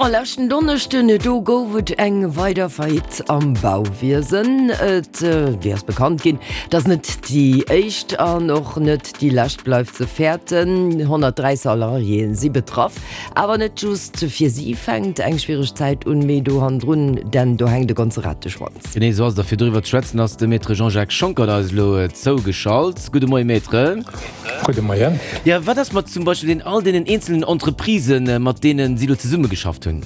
Bon, leschten Donneschden, do gouf et eng weider Faillite am Bauwiesen. Et wéi ass bekannt ginn, dass net déi éischt an och net déi lescht bleift ze fäerten. 103 Salariéen si betraff. Awer net just fir si fänkt eng schwiereg Zäit un, mee do hannendrun, denn do hänkt e ganze Rateschwanz. Genee esou ass et. A fir doriwwer ze schwätzen ass de Maître Jean-Jacques Schonckert eis elo zougeschalt. Gudde Moie Maître. Gudde Moien. Jo, wat ass mat zum Beispill den all deenen eenzelnen Entreprisen, mat deenen si elo zesummegeschafft hunn?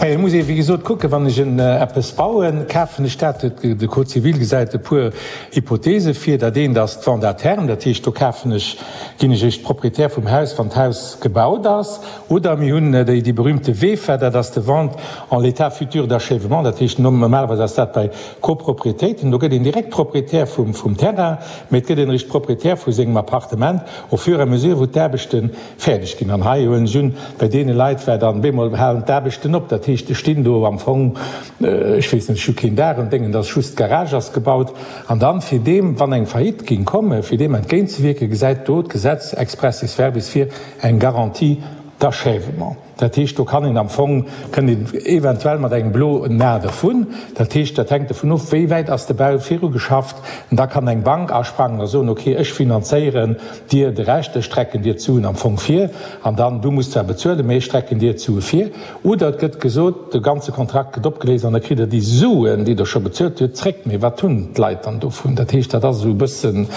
Naja, et muss ee wéi gesot kucken, wann ech en eppes bauen, kafen ech dat, de Code civil gesäit e puer Hypothese vir. Dat eent ass d'Vente à terme, dat heescht do kafen ech, ginn ech eréischt Proprietär vum Haus, wann d'Haus gebaut ass. Oder mir hunn déi déi berühmte VEFA, dat ass de Vente en l'état futur d'achèvement, dat heescht normalerweis ass dat bei Copropriétéiten, do gëtt een direkt Proprietär vum vum Terrain, mee et gëtt een eréischt Proprietär vu sengem Appartement au fur et à mesure wou d'Aarbechte fäerdeg ginn. An hei huelen ech un, bei deene Leit war dann bemol halen d'Aarbechten op. Dat heescht, ech stinn do am Fong, ech weess net, ech hu keen Daach an Déngen, et ass just d'Garage ass gebaut. An dann, fir deem, wann eng Faillite géing kommen, fir deem entgéintzewierken, gesäit do d'Gesetz expressis verbis vir eng Garantie d'achèvement. Dat heescht, do kann een am Fong, kënnt een eventuell mat engem bloen A dervun. Dat heescht, dat hänkt dovun of, wéi wäit ass de Bau virugeschafft. An da kann eng Bank asprangen a soen, okay, ech finanzéieren dir de Rescht, ech strecken dir d'Suen am Fong vir an dann, du muss zwar bezuelen, mee ech strecken dir d'Sue vir. Oder et gëtt gesot, de ganze Kontrakt gëtt opgeléist an da kritt der déi Suen, déi der scho bezuelt hutt, zréck. Mee wat hunn d'Leit dann dovun? Dat heescht, dat ass esou e bëssen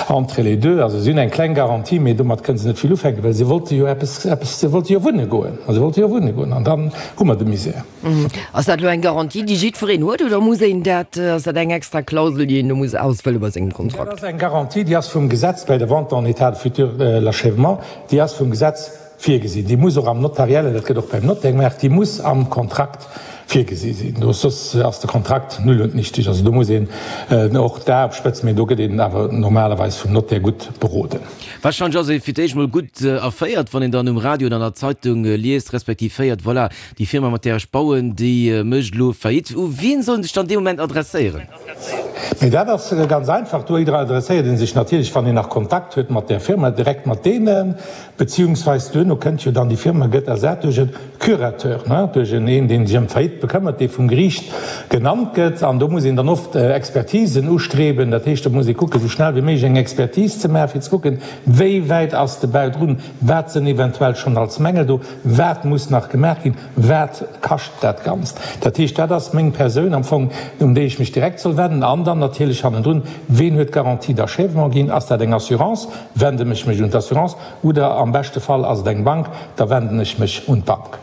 entre les deux. Also si hunn eng kleng Garantie, mee domat kënne se net vill ufänken, well se wollte jo eppes, eppes, se wollte jo wunne goen. A se wollte jo wunne goen an dann hu mer de Misär. Ass dat elo eng Garantie, déi jiddwereen huet, oder muss een dat, ass dat eng extra Klausel, déi een do muss ausfëlle bei sengem Kontrakt? Dat ass eng Garantie, déi ass vum Gesetz bei der Vente en état de futur l'achèvement, déi ass vum Gesetz virgesinn. Déi muss och am Notariellen, dat gëtt och beim Notaire gemaach, déi muss am Kontrakt virgesi sinn. Do soss ass de Kontrakt null und nichtig. Also do muss een och d'A op Spëtz, mee do gëtt een awer normalerweis vum Notaire gutt beroden. Wahrscheinlech ass ee fir d'éischt mol gutt erféiert, wann een dann um Radio oder an der Zeitung liest, respektiv héiert, voilà, Déi Firma, mat där ech bauen, déi mécht elo Faillite. U wien soll en sech dann dee Moment adresséieren? Mee dat ass ganz einfach. Do adresséiert ee sech natierlech, wann een nach Kontakt huet mat där Firma, direkt mat deenen. Beziehungsweis duerno kënnt jo dann, déi Firma gëtt ersat duerch e Curateur, duerch en een, dee sech ëm d'Faillite bekëmmert, dee vum Geriicht genannt gëtt. An do muss een dann oft Expertisen ustreben. Dat heescht, do muss ee kucken, esou schnell wéi méiglech eng Expertise ze maachen, fir ze kucken, wéi wäit ass de Bau drun, wat sënn eventuell schonn als Mängel do, Wat muss nach gemaach ginn? Wat kascht dat Ganzt? Dat heescht, dat ass meng Persoun am Fong, un déi ech mech direkt soll wenden. An dann natierlech hannendrun, Ween huet d'Garantie d'achèvement ginn? Ass dat eng Assurance? Wenden ech mech un d'Assurance? Oder am beschte Fall ass et eng Bank, da wenden ech mech un d'Bank.